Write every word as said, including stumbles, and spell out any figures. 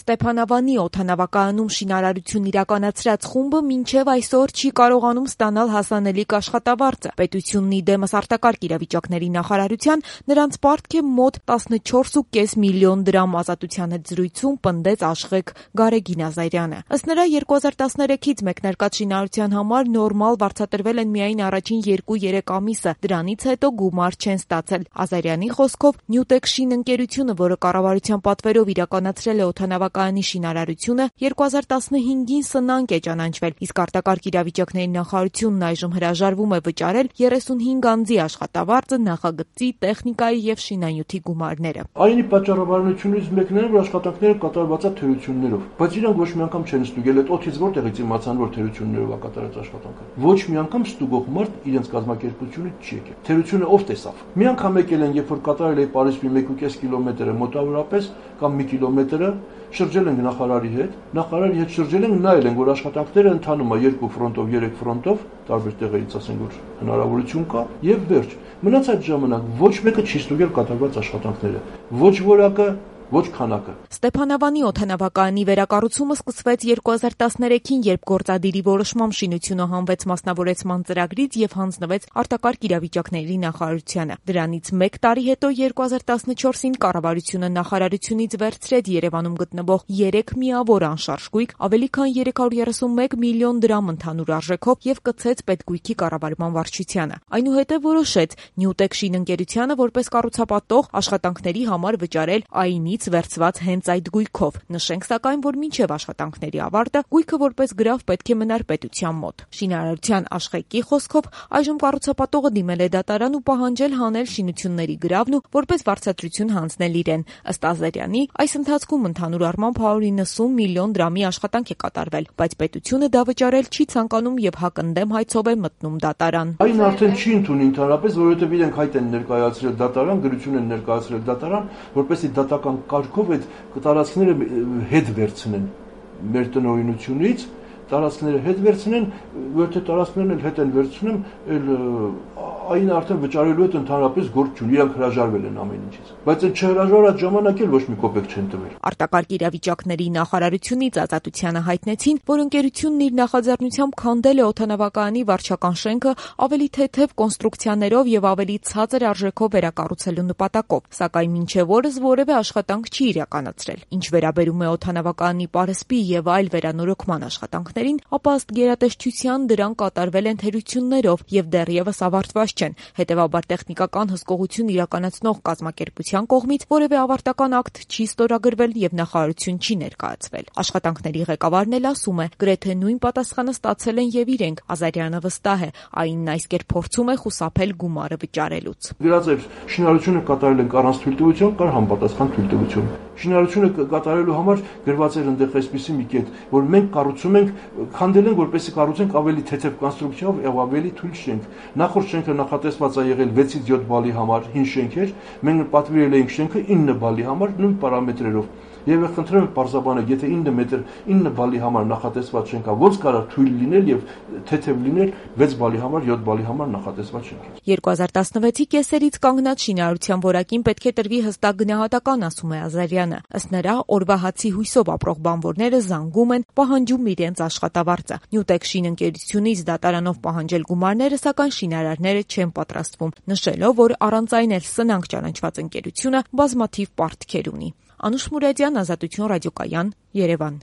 Ստեփանավանի օդանավակայանում շինարարություն իրականացրած խումբը մինչև այսօր չի կարողանում ստանալ հասանելիք աշխատավարձը։ Պետությունն ի դեմս արտակարգ իրավիճակների նախարարության նրանց պարտք է մոտ տասնչորս ու կես միլիոն դրամ, Ազատության հետ զրույցում պնդեց աշխեք Գարեգին Ազարյանը։ Ըստ նրա երկու հազար տասներեքից մեկնարկած շինարարության համար նորմալ վարձատրվել են միայն առաջին երկու-երեք ամիսը, դրանից հետո գումար չեն ստացել։ Ազարյանի խոսքով Նյուտեկ շին ընկերությունը, որը կառավարության պատվերով իրականացրել է օդանավակայանի շինարարությունը, երկու հազար տասնհինգին սնանկ է ճանաչվել, իսկ արտակարգ իրավիճակների նախարարությունն այժմ հրաժարվում է վճարել երեսունհինգ անձի աշխատավարձը, նախագծի, տեխնիկայի եւ շինանյութի գումարները։ Այնի պատճառաբանությունից մեկն է, որ աշխատանքները կատարված է թերություններով, բայց իրանք ոչ մի անգամ չեն ստուգել այդ օդից որտեղից իմացան, որ թերություններով է կատարած աշխատանքը։ Ոչ մի անգամ ստուգող մարդ իրենց կազմակերպությունը չի եկել։ Թերությունը ով տեսավ։ Մի անգամ եկել են, երբ որ կատարել է Պարիսպի մեկ ու կես կիլոմետրը մոտավորապես կամ մի կիլոմետրը, շրջել ենք նախարարի հետ, նախարարի հետ շրջել ենք, նայել ենք, որ աշխատանքները ընթանում է երկու ֆրոնտով, երեք ֆրոնտով, տարբեր տեղերից ասենք, որ հնարավորություն կա, եւ վերջ։ Մնացած ժամանակ ոչ մեկը չի ստուգել կատարված աշխատանքները, ոչ որակը, ոչ քանակը։ Ստեփանավանի օդանավակայանի վերակառուցումը սկսվեց երկու հազար տասներեքին, երբ գործադիրի որոշմամբ շինությունը հանվեց մասնավորեցման ծրագրից եւ հանձնվեց արտակարգ իրավիճակների նախարարությանը։ Դրանից մեկ տարի հետո երկու հազար տասնչորսին կառավարությունը նախարարությունից վերցրեց Երևանում գտնվող երեք միավոր անշարժ գույք, ավելի քան երեք հարյուր երեսունմեկ միլիոն դրամ ընդհանուր արժեքով եւ կցեց պետգույքի կառավարման վարչությանը։ Այնուհետև որոշեց Նյուտեկ շին ընկերությանը որպես կառուցապատող աշխատանքների համար վճարել ԱԻՆ վերցված հենց այդ գույքով։ Նշենք սակայն, որ մինչև աշխատանքների ավարտը գույքը որպես գրավ պետք է մնար պետության մոտ։ Շինարարության աշխեկի խոսքով այժմ կառուցապատողը դիմել է դատարան ու պահանջել հանել շինությունների գրավն ու որպես վարձատրություն հանձնել իրեն։ Ըստ Ազարյանի, այս ընթացքում ընդհանուր առմամբ հարյուր իննսուն միլիոն դրամի աշխատանք է կատարվել, բայց պետությունը դա վճարել չի ցանկանում եւ հակընդդեմ հայցով է մտնում դատարան։ Այն արդեն չի ընդունի ընդհանրապես, որովհետեւ իրենք հայտ են ներկայացրել դատարան, գրություն են ներկայացրել դատարան, որպեսզի դատական կարգով այդ տարածքները հետ վերցնեն մեր տնօրինությունից, տարածքները հետ վերցնեն, որտե տարածքներն էլ հետ են վերցնում, էլ այն արդեն վճարելու հետ ընդհանրապես գործ չունի, իրանք հրաժարվել են ամեն ինչից։ Բայց այդ չհրաժարած ժամանակ էլ ոչ մի կոպեկ չեն տվել։ Արտակարգ իրավիճակների նախարարությունից Ազատությանը հայտնեցին, որ ընկերությունն իր նախաձեռնությամբ քանդել է օդանավակայանի վարչական շենքը ավելի թեթև կոնստրուկցիաներով եւ ավելի ցածր արժեքով վերակառուցելու նպատակով, սակայն մինչև օրս որևէ աշխատանք չի իրականացրել։ Ինչ վերաբերում է օդանավակայանի պարսպի եւ այլ վերանորոգման աշխատանքներին, ապա ըստ գերատեսչության դրանք կատարվել են թերություններով եւ դեռևս ավարտված չեն, հետեւաբար տեխնիկական հսկողություն իրականացնող կազմակերպության կողմից որևէ ավարտական ակտ չի ստորագրվել եւ նախարարություն չի ներկայացվել։ Աշխատանքների ղեկավարն էլ ասում է, գրեթե նույն պատասխանը ստացել են եւ իրենք։ Ազարյանը վստահ է, ԱԻՆ-ն այս կերպ փորձում է խուսափել գումարը վճարելուց։ Գրած շինարարությունը կատարել ենք առանց թույլտվության կամ համապատասխան թույլտվություն։ Շինարարությունը կատարելու համար գրված էր այնտեղ այսպիսի մի կետ, որ մենք կառուցում ենք, քանդել ենք, որպեսզի կառուցենք ավելի թեթև կոնստրուկցիայով եւ ավելի թույլ շենք։ Նախորդ շենքը նախատեսված է եղել վեցից յոթ բալի համար, հին շենք էր, մենք պատվիրել էինք շենքը ինը բալի համար, նույն պարամետրերով։ Եվ խնդրեմ պարզաբանել, եթե ինը մետր ինը բալի համար նախատեսված շենքա, ո՞նց կարող թույլ լինել եւ թեթև լինել վեց բալի համար, յոթ բալի համար նախատեսված շենքից։ երկու հազար տասնվեցի կեսերից կանգնած շինարարության որակին պետք է տրվի հստակ գնահատական, ասում է Ազարյանը։ Ըստ նրա, օրվա հացի հույսով ապրող բանվորները զանգում են, պահանջում իրենց աշխատավարձը։ Նյուտեկ շին ընկերությունից դատարանով պահանջել գումարները, սակայն շինարարները չեն պատրաստվում, նշելով, որ առանց այն էլ սնանկ ճանաչված ընկերությունը բազմաթիվ պարտքեր ունի։ Անուշ Մուրադյան, Ազատություն ռադիոկայան, Երևան։